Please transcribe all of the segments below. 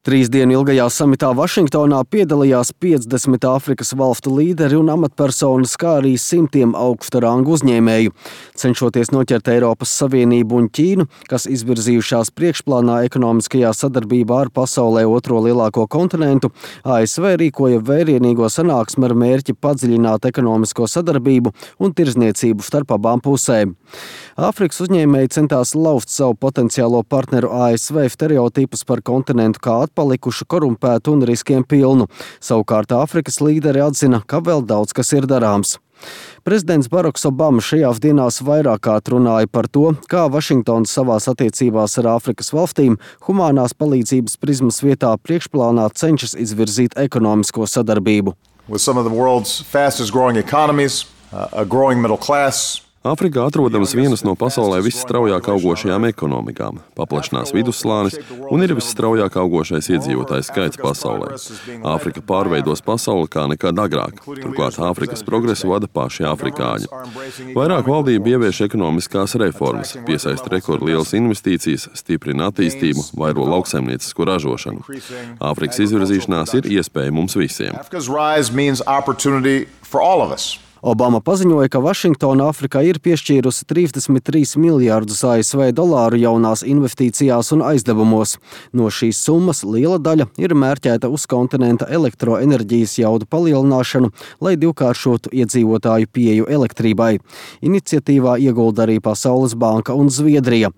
3 dienu ilgajā samitā Vašingtonā piedalījās 50 Āfrikas valstu līderi un amatpersonas, kā arī simtiem augsta rangu uzņēmēju. Cenšoties noķert Eiropas Savienību un Ķīnu, kas izvirzījušās priekšplānā ekonomiskajā sadarbībā ar pasaulē otro lielāko kontinentu, ASV rīkoja vērienīgo sanāksmi ar mērķi padziļināt ekonomisko sadarbību un tirdzniecību starp abām pusēm. Āfrikas uzņēmēji centās lauzt savu potenciālo partneru ASV stereotipus par kontinentu kā atpalikušu, korumpētu un riskiem pilnu. Savukārt Āfrikas līderi atzina, ka vēl daudz kas ir darāms. Prezidents Baraks Obama šajās dienās vairāk kārt runāja par to, kā Vašingtona savās attiecībās ar Āfrikas valstīm humānās palīdzības prizmas vietā priekšplānā cenšas izvirzīt ekonomisko sadarbību. With some of the world's fastest growing economies, a growing middle class, Āfrikā atrodams vienas no pasaulē visstraujāk augošajām ekonomikām, paplašinās vidusslānis un ir visstraujāk augošais iedzīvotājs skaits pasaulē. Āfrika pārveidos pasauli kā nekad agrāk, turklāt Āfrikas progresu vada paši afrikāņi. Vairāk valdība ievieš ekonomiskās reformas, piesaista rekordlielas investīcijas, stiprina attīstību, vairo lauksaimniecisko ražošanu. Āfrikas izvirzīšanās ir iespēja mums visiem. Obama paziņoja, ka Vašingtona Āfrikai ir piešķīrusi 33 miljārdus ASV dolāru jaunās investīcijās un aizdevumos. No šīs summas liela daļa ir mērķēta uz kontinenta elektroenerģijas jaudu palielināšanu, lai divkāršotu iedzīvotāju pieeju elektrībai. Iniciatīvā iegulda arī Pasaules banka un Zviedrija.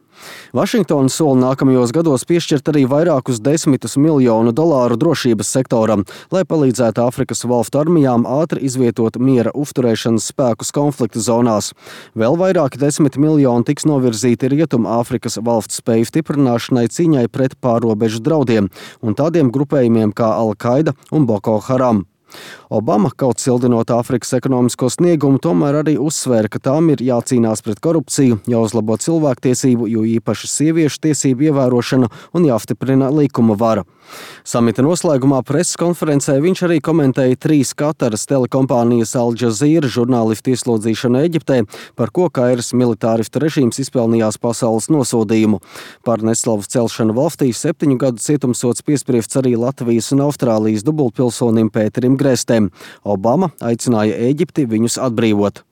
Vašingtona sola nākamajos gados piešķirt arī vairākus desmitus miljonu dolāru drošības sektoram, lai palīdzētu Āfrikas valstu armijām ātri izvietot miera uzturēšanas spēkus konflikta zonās. Vēl vairāki 10 miljoni tiks novirzīti Rietumāfrikas valstu spēju stiprināšanai cīņai pret pārrobežu draudiem un tādiem grupējumiem kā Al-Qaida un Boko Haram. Obama, kaut sildinot Āfrikas ekonomisko sniegumu, tomēr arī uzsvēra, ka tām ir jācīnās pret korupciju, jāuzlabo cilvēktiesību, jo īpaši sieviešu tiesību ievērošana un jāstiprina likuma vara. Samita noslēgumā preses konferencē viņš arī komentēja 3 Kataras telekompānijas Al Jazeera žurnālistu ieslodzīšanu Eģiptē, par ko Kairas militāristu režīms izpelnījās pasaules nosodījumu. Par neslavas celšanu valstī 7 gadu cietumsods piespriests arī Latvijas un Austrālijas dubultpilsonim Pēterim Grēstēm. Obama aicināja Ēģipti viņus atbrīvot.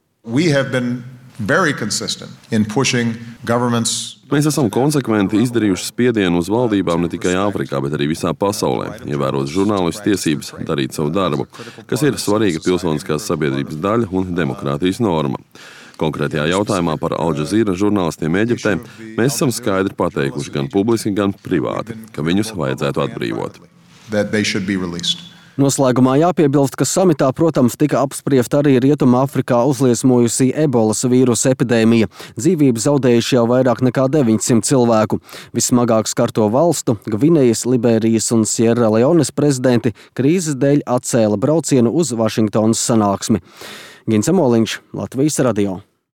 Mēs esam konsekventi izdarījuši spiedienu uz valdībām ne tikai Āfrikā, bet arī visā pasaulē, ievērot žurnālistu tiesības darīt savu darbu, kas ir svarīga pilsoniskās sabiedrības daļa un demokrātijas norma. Konkrētajā jautājumā par Al Jazeera žurnālistiem Eģiptē mēs esam skaidri pateikuši gan publiski, gan privāti, ka viņus vajadzētu atbrīvot. Noslēgumā jāpiebilst, ka samitā, protams, tika apspriesta arī Rietumāfrikā uzliesmojusī ebolas vīrusa epidēmija. Dzīvību zaudējuši jau vairāk nekā 900 cilvēku. Vissmagāk skarto valstu, Gvinejas, Liberijas un Sierra Leones prezidenti krīzes dēļ atcēla braucienu uz Vašingtonas sanāksmi. Gins Emoliņš, Latvijas radio.